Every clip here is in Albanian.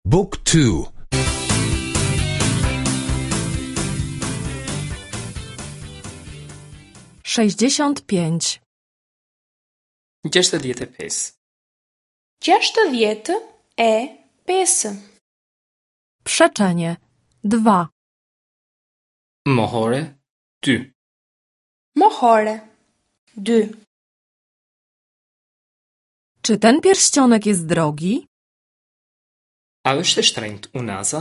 Book 2 65. 65. 65. Przeczenie. 2. Mohore 2. Mohore. 2. Czy ten pierścionek jest drogi? A është e shtrenjtë unaza?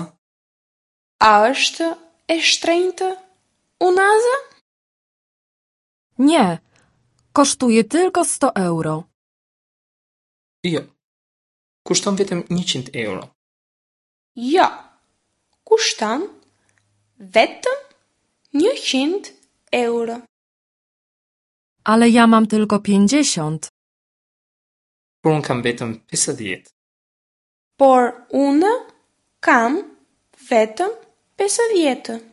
A është e shtrenjtë unaza? Nie. Kosztuje tylko 100 euro. Jo. Kushton vetëm 100 euro. Jo. Kushton vetëm 100 euro. Ale ja mam tylko 50. Por unë kam vetëm 50. Por unë kam vetëm 50.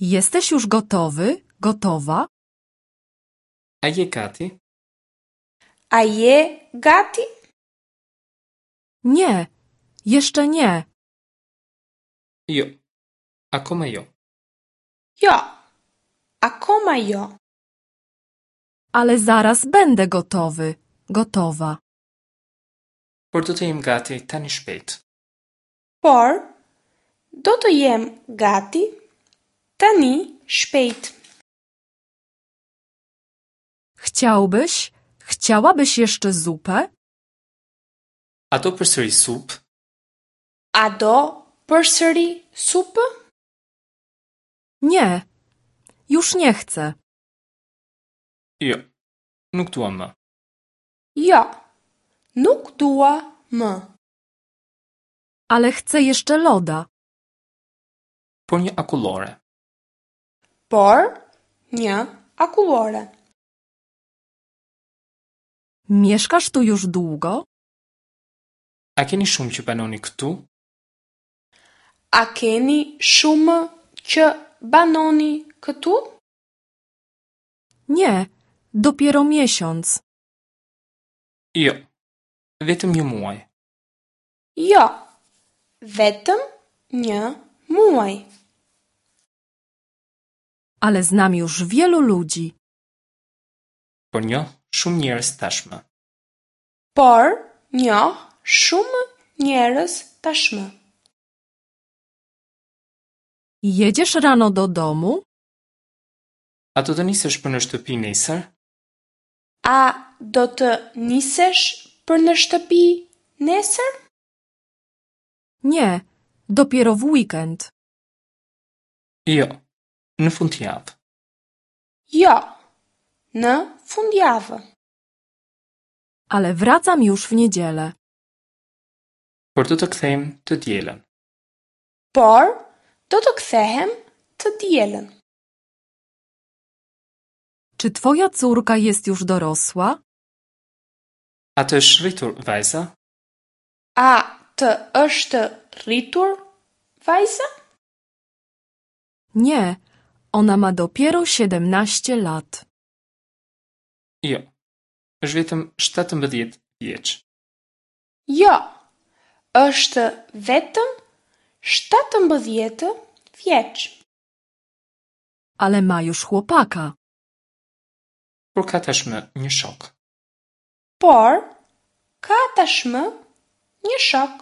Jesteś już gotowy? Gotowa? A je gati? A je gati? Nie. Jeszcze nie. Jo. Akoma jo. Jo. Akoma jo. Ale zaraz będę gotowy. Gotowa. Por do të jem gati tani shpejt. Por do të jem gati tani shpejt. Chciałbyś? Chciałabyś jeszcze zupę? A do përsëri supë? A do përsëri supë? Nie. Już nie chcę. Jo. Nuk dua më. Jo. Nuk dua më. Ale chcę jeszcze loda. Por një akullore. Por një akullore. Mieszkasz tu już długo? A keni shumë që banoni këtu? A keni shumë që banoni këtu? Nie. Dopiero miesiąc. Jo. Vetëm një muaj. Jo. Vetëm një muaj. Ale znam już wielu ludzi. Por njoh shumë njerëz tashmë. Por njoh shumë njerëz tashmë. Jedziesz rano do domu? A do të nisesh për në shtëpi nesër? A do të nisesh për në shtëpi nesër? Nie. Dopiero w weekend. Jo. Në fundjavë. Jo. Në fundjavë. Ale wracam już w niedzielę. Por do të kthehem të dielën. Por do të kthehem të dielën. Czy twoja córka jest już dorosła? A të është rritur vajza? A të është rritur vajza? Nie. Ona ma dopiero 17 lat. Jo. Është vetëm 17 vjeç. Jo. Është vetëm 17 vjeç. Ale ma już chłopaka. Por ka tashmë një shok. Por ka tashmë një shok.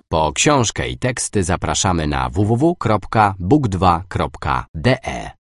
Po książkę i teksty zapraszamy na www.book2.de.